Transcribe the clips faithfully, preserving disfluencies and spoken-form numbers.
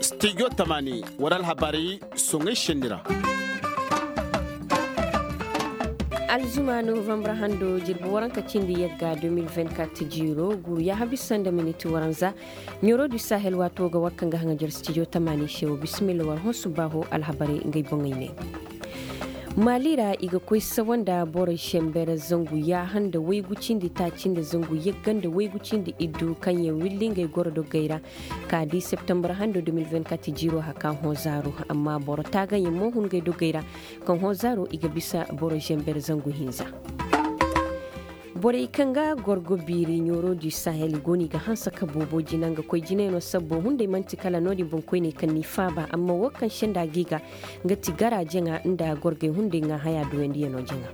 Stijo tamaani war alhabarey soŋey senni ra. Alzuma novambar hando jirbi waranka cindi yagga deux mille vingt-quatre jiiro guru yaaha bisa nda miniti waranza. Ɲoro du sahel waato ga war kaŋ ga haŋajar stijo tamaani se wo bisimilla war hõ subbaaho alhabarey ngey boŋey ne. Maali ra i ga koy sawa nda boro zember zangu yaaha nda waygu cindi taaci nda zangu yagga nda waygu cindi iddu kaŋ yaŋ willi ngey goro doggey ra. Ka di septembar hando deux mille vingt-quatre jiiro haka hõ zaaru amma boro taagayaŋ mo hun ngey doggey ra. Kaŋ hõ zaaru i ga bisa boro zember zangu hinza. Borey kaŋ ga gorgo biiri ɲoro du sahel go no i ga hanse ka boobo jina nga koy jinayaŋo sabbo hunday man'ti kala no-din boŋkoyney kaŋ n'i faaba amma wo kaŋ senda g'i ga nga ti gara jaŋa nda gorgey hunday ŋaa haya duwandiyano jaŋa.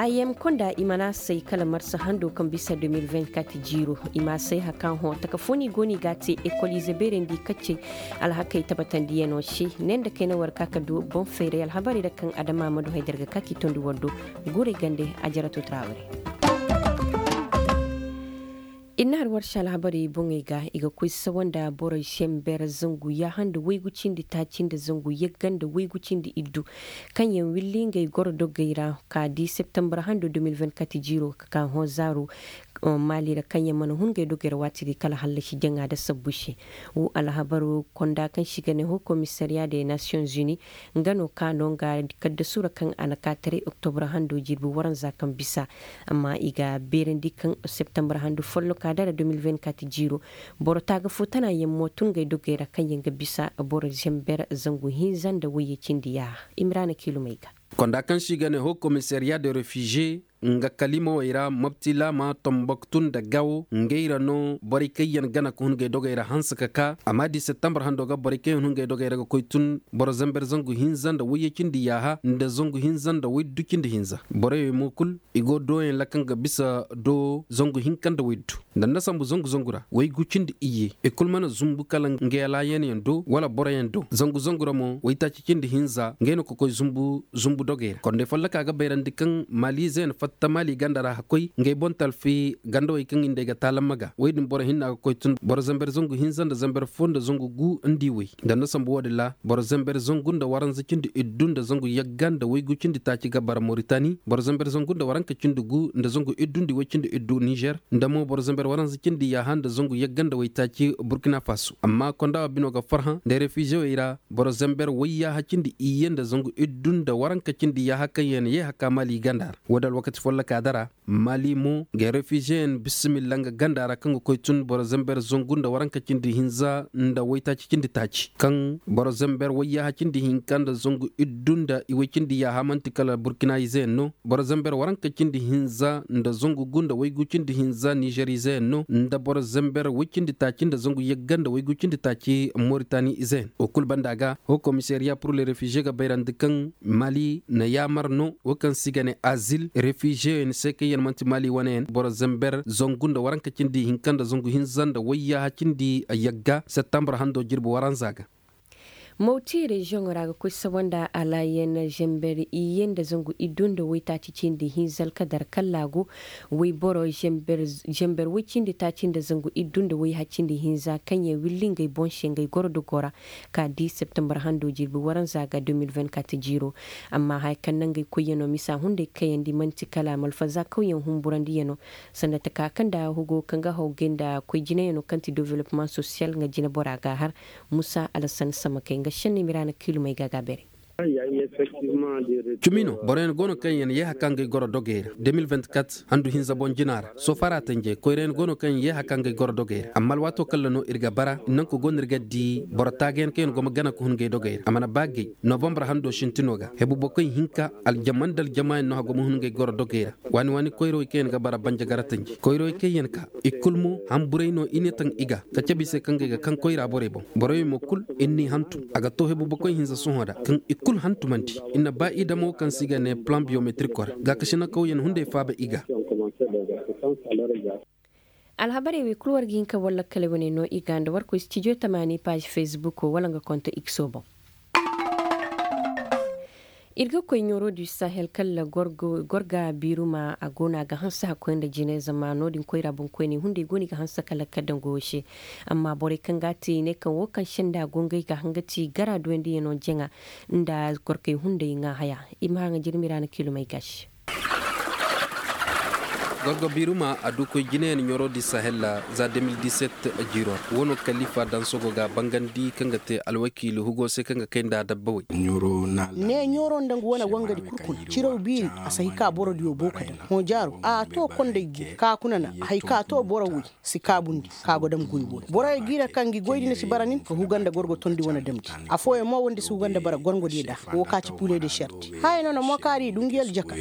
Ayem konda i mana say kala marsa hando kaŋ bisa deux mille vingt-quatre jiiro i ma say haka hõ taka fo no i go no i ga a te ekol ize beerandi kaccey alhakey tabatandiyano se ne nda kayna war ka ka du boŋ fayray alhabarey ra kaŋ adama ma du hayda ra ga ka k'i tondi war do. Guurey gande a jarato taraaware. Ir na har war se alhabarey boŋey ga i ga koy sawa nda boro zember zangu yaaha nda waygu cindi taaci nda zangu yagga nda waygu cindi iddu kaŋ yaŋ willi ngey goro doggey ra ka di septembar hando deux mille vingt-quatre jiiro ka ka hõ zaaru. Maali ra kaŋ yaŋ mana hun ngey doggey ra waati di kala hallasi jaŋa nda sabbu se. Wo alhabaru konda kaŋ se i ga ne ho komisariya de nations unis nga no ka no nga kaddasu ra kaŋ a na ka taray oktobra hando jirbi waranza kaŋ bisa. Amma i ga beerandi kaŋ septembar hando folloka dara deux mille vingt-quatre jiiro boro taaga fo tana yaŋ mo tun ngey doggey ra kaŋ yaŋ ga bisa boro zember zangu hinza nda wayye cindi yaaha. Imrana kiilumey ga. Konda kaŋ se i ga ne ho komisariya de refize nga kalimawey ra mopti laama tomboktu nda gawo ngey ra no borey kaŋ yaŋ gana ka hun ngey dogey ra hanse ka ka a ma di septembar hando ga borey kaŋ yaŋ hun ngey dogey ra ga koy tun boro zember zangu hinza nda wayye cindi yaaha nda zangu hinza nda waydu cindi hinza. Borey wey mo kul i go dooyaŋ ra kaŋ ga bisa do zangu hinka nda waydu nda nda sambu zangu zangu ra waygu cindi iyye i kul mana zumbu kala ngey alaayanyaŋ do wala boroyaŋ do zangu zangu ra mo waytaaci cindi hinza ngey no ka koy zumbu zumbu dogey ra kondey folloka ga bayrandi kaŋ maaliize yaŋ fatta maali ganda ra hakkoy ngey boŋ talfi gandawey kaŋ i nda ay ga taalamma ga woy din boro hinna ga koy tun boro zember zangu hinza nda zember fo nda zangu gu nda i woy nda nda sambu wo-din ra boro zember zangu nda waranza cindi iddu nda zangu yagga nda waygu cindi taaci ga bara moritani boro zember zangu nda waranka cindi gu nda zangu iddu nda i woy cindi iddu nizer nda mo boro zember waranza cindi yaaha nda zangu yagga nda waytaaci burkina faso amma konda wo bino ga farhã nda refizewey ra boro zember wayyaaha cindi iyye nda zangu iddu nda waranka cindi yaaha kaŋ yaŋ ye haka maali ganda ra wo-din alwakati folloka dara maali mo ga refizeyaŋ bisimilla nga ganda ra kaŋ ga koy tun boro zember zangu nda waranka cindi hinza nda waytaaci cindi taaci kaŋ boro zember wayyaaha cindi hinka nda zangu iddu nda i way cindi yaaha man'ti kala burkina izeyaŋ no boro zember waranka cindi hinza nda zangu gu nda waygu cindi hinza nizer izeyaŋ no nda boro zember way cindi taaci nda zangu yagga nda waygu cindi taaci moritani izeyaŋ wo kul banda ga ho komisariya pur le refize ga bayrandi kaŋ maali na yaamar no wo kaŋ se i ga ne azil refizeyaŋ se kaŋ yaŋ man'ti maali wane yaŋ boro zember zangu nda waranka cindi hinka nda zangu hinza nda wayyaaha cindi yagga septembar hando jirbi waranza ga. Mawti reziyoŋo ra ga koy sawa nda alaayan zember iyye nda zangu iddu nda waytaaci cindi hinza alkadar kallaagu wayboro zember way cindi taaci nda zangu iddu nda wayha cindi hinza kaŋ yaŋ willi ngey boŋ se ngey goro dogo ra ka di septembar hando jirbi waranza ga deux mille vingt-quatre jiiro. Amma haya kaŋ na ngey koyyaŋo misa hunday kayandi man'ti kala malfaza kawyaŋ humburandiyano sanda taka kaŋ nda hugo kaŋ ga hawgay nda koy jinayano kaŋ ti development sosiyal nga jinabora ga a har. Musa alhasan samakey nga senni miraana kiilumey ga a ga a beeray. Cumi no boroyaŋ go no kaŋ yaŋ yee haka ngey goro dogey ra deux mille vingt-quatre handu hinza boŋ jina ra soofara tanje koyrayaŋ go no kaŋ yaŋ yee haka ngey goro dogey ra amma alwaato kaŋ ra no ir ga bara nanku go no ir ga di boro taagayaŋ kaŋ yaŋ go ma gana ka hun ngey dogey ra a mana ba gay novambar hando sintino ga hebu bokoy hinka aljama nda aljama yaŋ no haggo ma hun ngey goro dogey ra waani waani koyrawey kaŋ yaŋ ga bara banjagara tanji koyrawey kaŋ yaŋ ka i kul mo hamburay no i ne taŋ i ga ka cabe i se kaŋ ga i ga kaŋ koyra borey boŋ borey mo kul i n'i hantum a ga to hebu bokoy hinza sohõ da kaŋ i kul hantumandi i na ba i damo kaŋ se i ga ne plan biyometrik ra gaakasina kawyaŋ hunday faaba i ga. Alhabarey wey kul war ga hin ka war lakkaley wane no i ga nda war koy stijo tamaani paazi fesbuko wala nga konto ikso boŋ. Ir ga koy ɲoro du sahel kala gorga biiruma a go no a ga hanse hakkoy nda jine zama no- din koyra boŋkoyney hunday go no i ga hanse kala ka daŋ goyo se. Amma borey kaŋ ga a te i ne kaŋ wo kaŋ senda go ngey ga hanga ti gara duwandiyaŋo jaŋa nda gorkey hunday ŋaa haya. I ma haŋa jirmi ra na kiilumey ga se. Gorgo biiruma a du koy jineyaŋ ɲoro di sahel ra za deux mille dix-sept. Jiiro ra wo no kalifa daŋ sogo ga a bangandi kaŋ ga te alwakiili hugo se kaŋ ga kay nda a dabba wey. Ne ɲoro nda nga wane wangadi kul kuna ciraw biiri. A si hay ka boro diyo bo ka daŋ hõ jaaro a to kondey gu ka kuna na hay ka to boro wey si kaabundi ka go dam goy woy borey g'i ra kaŋ ngi goy di na si bara nin ka huga nda gorgo tondi wane damndi. Affooyaŋ mo woo nda si huga nda bara gorgo diyo da woo ka ci pule de serti haya no na mo kaari i du ngi aljaka.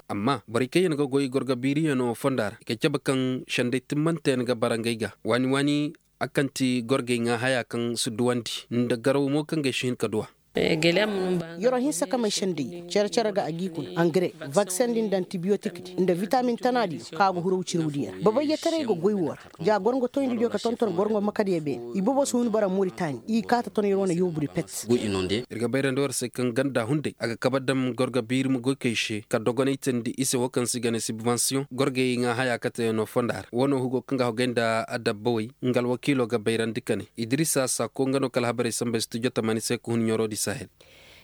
Amma borey kaŋ yaŋ ga goy gorgo biiriyaŋo fonda ra i ga cabe kaŋ sendey timmante yaŋ ga bara ngey ga waani waani. A kaŋ ti gorgey ŋaa haya kaŋ si duwandi nda garaw mo kaŋ gay si hin ka duwa. Yoro hinsa ka may sendey cere cere ga a g'i kuna angare, vakseŋ din da antibiyotik din nda vitamin tana diyo kaŋ a ga huraw ciraw diyo ra babayyataray ga goy woo ra. Ja gorŋo toyndi diyo ka tonton gorŋo makadiyo beene i bobo si hun bara moritani i kaata ton yer wane yoobu di pet. Ir ga bayrandi war se kaŋ ganda hunday a ga kabe dam gorgo biirima goykey se ka dogonay teendi i se woo kaŋ se i ga ne sibbansiyoŋ gorgey ŋaa haya kateyaŋo fonda ra woo no hugo kaŋ ga hogay nda adabbawey. Nga alwakiilo ga bayrandi ka ne idirisa saako nga no ka alhabarey samba studio tamani se ka hun ɲoro di sahel.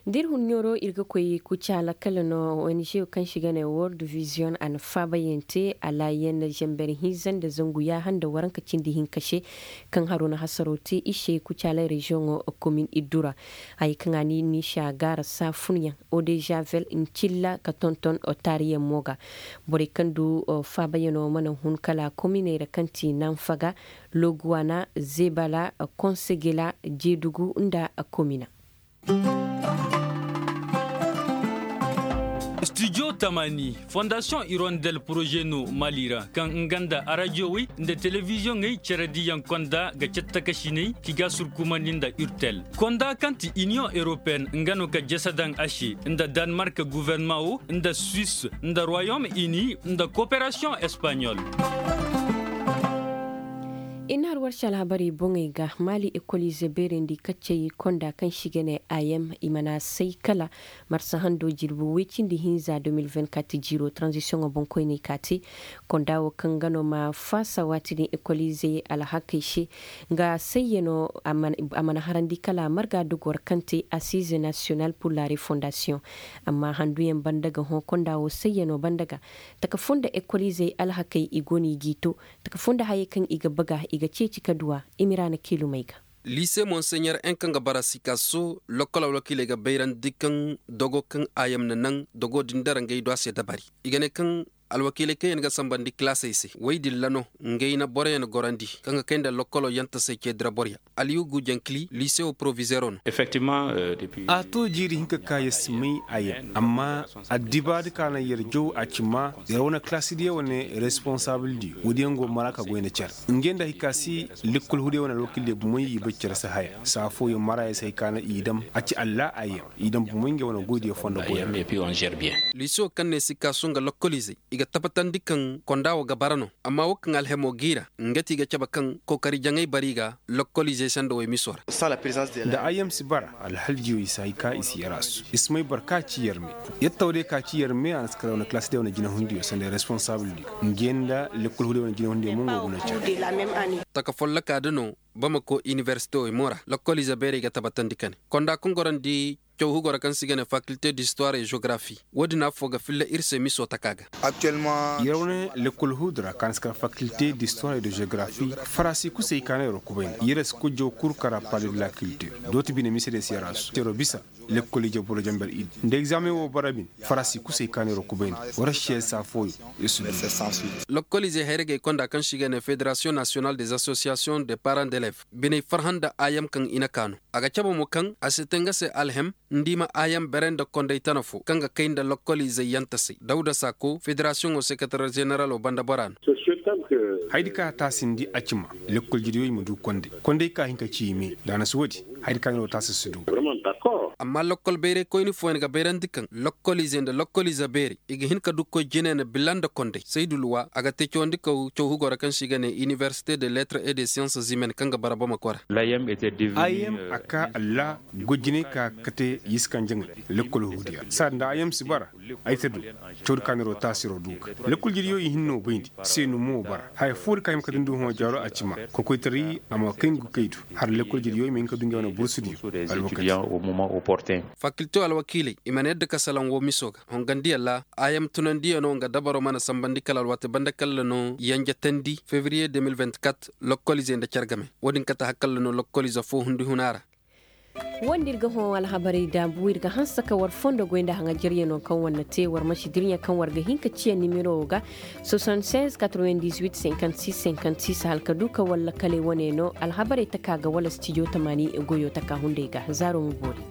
Da ir hun ɲoro ir ga koy kucaala kala no ong kaŋ se i ga ne world vision a na faabayaŋ te alaayan zember hinza nda zangu yaaha nda waranka cindi hinka se. Kaŋ haro na hasaro te i se kucaala reziyoŋo komin iddu ra. Haya kaŋ a ni ni se a gaara saafunyaŋ odezavel ncilla ka tonton taariyaŋ mo ga. Borey kaŋ du faabayaŋo mana hun kala kominey ra kaŋ ti nanfaga, loguwana, zebala, konsegela, jeedugu nda komina. Studio tamani fondasiyoŋ irondel poroze no mali ra kaŋ nga nda arajiyowey nda telebiziyoŋey cerediyaŋ konda ga cattakasiney ki ga surkumandi nda urtel konda kaŋ ti iniyoŋ europeyen nga no ka jese daŋ a se nda danmark guverneman wo nda suwis nda royom ini nda koperasiyoŋ espaɲol. I na har war se alhabarey boŋey ga maali ekolize beerandi kaccey konda kaŋ se i ga ne a yem i mana say kala marsa hando jirbi woy cindi hinza deux mille vingt-quatre jiiro taranzisiyoŋo boŋkoyney ka te. Konda wo kaŋ ga no ma faasa waati din ekolize alhakey se nga sayyano a mana harandi kala marga dogor kaŋ te asize nasiyonal pur la refondasiyoŋ. Amma handuyaŋ banda ga hõ konda wo sayyano banda ga taka fo nda ekolizey alhakey i go no i g'i to taka fo nda hayey kaŋ i ga baga i ga ceeci ka duw'a. Imiraana kiilumey ga. Liise monseɲer en kaŋ ga bara sikaso lokkol alwakiiley ga bayrandi kaŋ dogo kaŋ a yam na naŋ dogo din dara ngey do a se dabari. I ga ne kaŋ alwakiiley kaŋ yaŋ ga sambandi kilaasey se woy din ra no ngey na boroyaŋ gorandi kaŋ ga kay nda lokkolo yantasey ce dira boroyaŋ. Aliyugu jankili liisewo porovizeero no. A to jiiri hinka ka yer si may a yer amma addibaadi ka naŋ yer jaw a ci ma yer wane kilaasidiyo wane responsabildiyo woodiyaŋ go mara ka goy nda cere. Ngey nda hay ka si lekkol hudiyo wane alwakiildiyo bomey i bay cere si haya saa fooyaŋ mara yer si hay ka naŋ i dam a ci alla a yer i dam bomey ngey wane goydiyo fondo goyra. Liisewo kaŋ ne si kaasu nga lokkoliizey i ga tabbatandi kaŋ konda wo ga bara no. Amma wo kaŋ alhemo g'i ra nga ti i ga cabe kaŋ kookari jaŋay bari ga lokkoliizey sanda woy miso ra. Nda a yam si bara alhaljiyo i si hay ka i si yaraasu i si may boro ka ci yarme. Yattaw day ka ci yarme a na si kara wane kalaasi day wane jinahundiyo sanda responsaabul diyo. Ngey nda lekkol huday wane jinahundiyo mo nga guna care. Taka folloka da no bamako inibersite wo i mo ra lokkoliize beerey ga tabbatandi ka ne konda kaŋ gorandi caw hugo ra kaŋ se i ga ne fakilte distuwar e jeografi. Wo- din affoo ga filla ir se miso taka ga. Yer wane lekkol huudu ra kaŋ a na si kar fakilte distuwar e de jeografi. Farasi kusey ka no yer wa kubayndi yer si kujjaw kul kara pale de la kiltir. Dooti bine mise de si yer a su yer wa bisa lekkol ije boro jamber iddi nda egzaameŋ wo bara bin. Farasi kusey ka no yer wa kubayndi war si yer saa fooyo. Yer si du. Lokkoliizey hayragey konda kaŋ se i ga ne federasiyoŋ nasiyonal des asosiyasiyoŋ de paran d'elev biney farhã nda ayam kaŋ i na kaa no. A ga cabe mo kaŋ a si te nga se alhem nda i ma ayam bere nda kondey tana fo kaŋ ga kay nda lokkoliizey yantasey dawda saako federasiyoŋo sekatarer zeneralo banda bora no. Hayadi ka taasindi a ci ma lekkol jiriyo i ma du kondey kondey ka hin ka ci i me da a na si woodi. Hayadi ka no taasi si du. Amma lokkol bayraykoyni fooyaŋ ga bayrandi kaŋ lokkoliize nda lokkoliize beerey i ga hin ka dukkoy jine na bila nda kondey saydu luwa a ga te cawandi kaw caw hugo ra kaŋ se i ga ne inibersite de letre et de siyanse zimen kaŋ ga bara bamako ra. Ayem a ka allah goy jinay ka kate yiskan jaŋay. Lokkol hudiya saadi nda ayem si bara. Ay ta du cawdi kaaniroo taasiroo du ga lakkol jiriyo i hinno bayndi seenu mo bara haya foodi ka hima ka dindi hõ jaaro a cima. Kokoytaray a ma kay nga kay du har lakkol jiriyo i ma hin ka du nga wane bursudiyo. Alwakati. Faakiltiyo alwakiiley i mana yadda ka salaŋ woo miso ga hongandiyaŋ ra. Ayam tunandiyaŋo nga dabaroo mana sambandi kala alwaati banda kalla no yanjatandi febriye de mil vingt-quatre. Lokkoliizey nda car game wo-din kate har kalla no lokkoliize foo hundi huna ra. Woo nda ir ga hõ alhabarey daabu ir ga hanse ka war fondo goy nda haŋajaryaŋo kaŋ war na te war ma si dirɲa kaŋ war ga hin ka ciya nimero wo ga. Soixante-seize quatre-vingt-dix-huit cinquante-six cinquante-six hala ka du ka war lakaley wane no alhabarey taka ga wala stijo tamaani goyo taka hunday ga zaaro ma boori.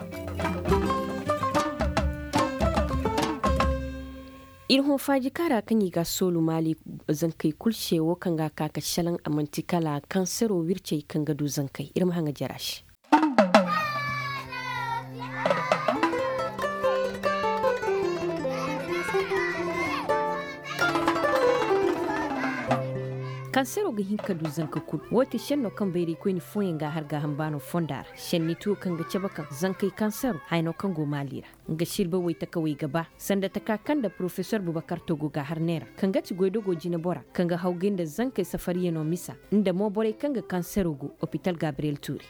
Ir hõ faajika ra kaŋ i ga a soolu maali zankey kul se wo kaŋ ga a ka ka šelaŋ a man'ti kala kansero wircey kaŋ ga du zankey ir ma haŋa jara se. Kansero ga hin ka du zanka kul wo ti šenno kaŋ bayraykoyni fooyaŋ ga a har gaaham baano fonda ra šenni tuwo kaŋ ga cabe kaŋ zankey kansero hayno kaŋ go maali ra. Nga silba woy takawey ga ba sanda taka kaŋ nda porofesor bubakar togo ga har neera kaŋ ga ti goydogo jinebora kaŋ ga hawgay nda zankey safariyaŋo misa nda mo borey kaŋ ga kansero go opital gabriyel tuuri.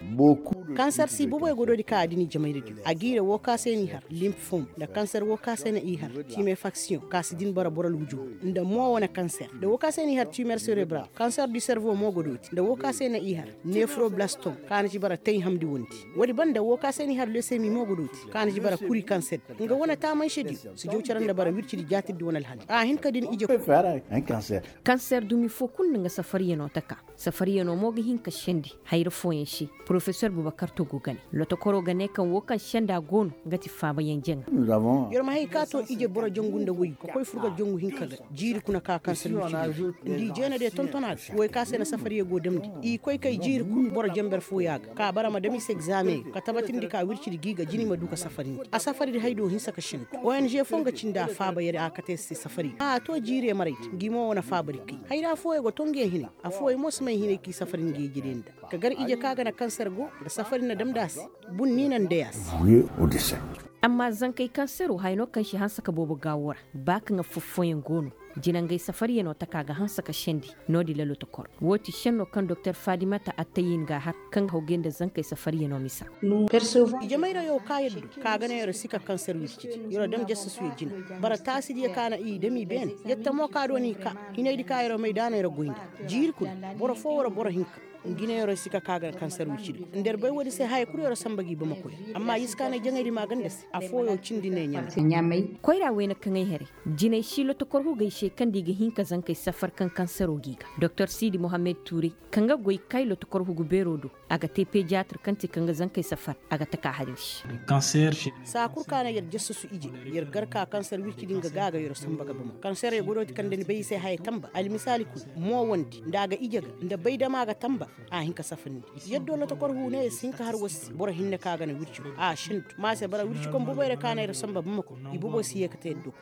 Kanser si bubey go doodi ka a din i jamayra diyo a giira woo ka se n'i har limp fom nda kanser woo ka se na i har timefaksiyoŋ ka si din bara boro luujo nda mo wane kanser nda woo ka se n'i har timer serebral kanser du servo mo go doodi nda woo ka se na i har nefroblastom ka na ci bara tey hamndi wondi. Woodi banda woo ka se n'i har lesemi mo go dooti ka na ci bara kuri kanser nga wane taamanse diyo si jaw cere nda bara wircidi jaatirdi wane alhali a hin ka din ije. Kanser dumi foo kul nda nga safariyanoo taka safariyanoo mo ga hin ka sendi hayra fooyaŋ se. Porofesor bubakar togo ga ne lotokoroo ga ne kaŋ woo kaŋ senda go no nga ti faabayaŋ jaŋa. Yer ma hay ka to ije boro jangu nda woy ka koy furga jangu hinka ga jiiri kuna ka kanser wircidi nda i jeena de tonton a ga woy ka se na safariyaŋ go damndi i koy kay jiiri kul boro janber fooyaŋ ga ka bara ma dam i se egzaameŋ ka tabatindi ka wircidi gi ga jina i ma du ka safarindi a safaridi hay do hinsa ka sendi. Ong foo nga cindi a faaba yer a kate se safari a to jiirey maray te ngi mo wane faabari kay hayra fooyaŋ go to ngi yaŋ hinay. Affooyaŋ mo si may hinay k'i safari ngi ije day nda ka gar ije ka ga na kanser go nda safari na damndi a se. Bun ni na nday a se. Amma zankey kansero haya no kaŋ si hanse ka boobo gaawo ra ba kaŋ affooyaŋ go no jinangey safariyanoo taka ga hanse ka sendi. No-din lalo tokor woo ti senno kaŋ doktor fadimata attayin ga a har kaŋ ga hawgay nda zankey safariyanoo misa. Ije mayrayo ka yer du ka ga ne yer si ka kanser wircidi yer dam jasasuyo jina. Bara taasidiyo ka na i dam i beene yer tamo ka do n'i ka hinaydi ka yer may daana yer goy nda jiiri kul boro foo wala boro hinka. Ngi ne yer si ka ka ga kanser wircidi nda yer bay woodi se haya kul yer samba gi bamakoy amma yer si ka ne jaŋaydi maaganda se affooyo cindi ne ɲamay. Koyra wayne kaŋay haray jinay si lotokor hugey se kaŋ nda i ga hin ka zankey safar kaŋ kansero g'i ga doktor siidi mohammed tuuray kaŋ ga goy kay lotokor hugu beero do. A ga te pediyatir kaŋ ti kaŋ ga zankey safar a ga taka hari se. Saa kul ka na yer jasasu ije yer gar ka kanser wirci din ga gaaga yer samba ga bama kanserey godooti kaŋ nda ni bay i se haya tamba almisaali kul moowandi nda a ga ije ga nda bay dama ga tamba. A hin ka safa nindi yer do lotokor huune yer si hin ka har war se boro hinne ka ga na wirci a sendu ma se bara wirci kaŋ boboyra ka na yer samba bama ko i bobo si ye ka te yer do.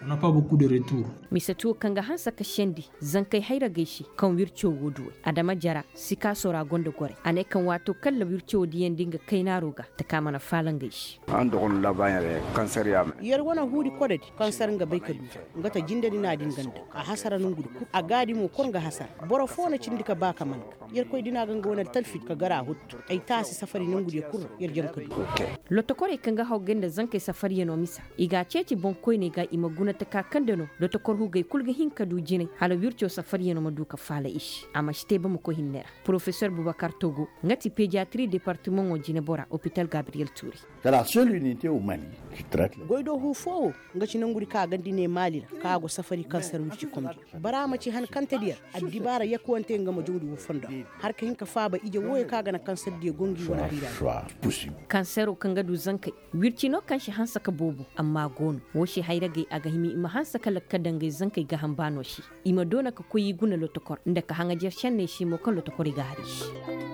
Mise tuwo kaŋ ga hanse ka sendi zankey hayragey se kaŋ wirco go duwey adama jara. Sikaaso ra gonda gorey a ne kaŋ waato kalla wirco diyandi nga kaynaaro ga taka mana faala ngey se. Yer wane huudi kodadi kanser nga bay ka du nga ta jindadi na din ganda a hasara nongudi kul a gaadi mo kor nga hasara. Boro foo na cindi ka ba ka man ga yerkoy dina ga nga wane talfidi ka gar a huttu ay taasi safari nongudiyo kul ra yer jaŋ ka du. Lotokorey kaŋ ga hawgay nda zankey safariyanoo misa i g'a ceeci boŋkoyney ga i ma guna taka kaŋ nda no lotokor hugey kul ga hin ka du jinay hala wirco safariyanoo ma du ka faala i se a ma si te bamako hinne ra. Porofesor bubakar togo nga ti pediyatiri departimaŋo jinebora opital gabriyel tuuri. Goydoo huu foo wo nga ci nangudi ka gandi ne maali ra ka go safari kanser wirci komdi. Bara ma ci han kantedi yer addibaara yakuwante nga ma jawndi woo fondo ra har ka hin ka faaba ije wooyo ka ga na kanserdiyo go ngi wane biira. Kansero kaŋ ga du zankey wirci no kaŋ si hanse ka boobo amma go no woo se hayragey a ga hima i ma hanse ka lakka daŋ ngey zankey gaaham baano se. I ma doona ka koy i guna lotokor nda ka haŋajer senney se mo kaŋ lotokorey ga har i se.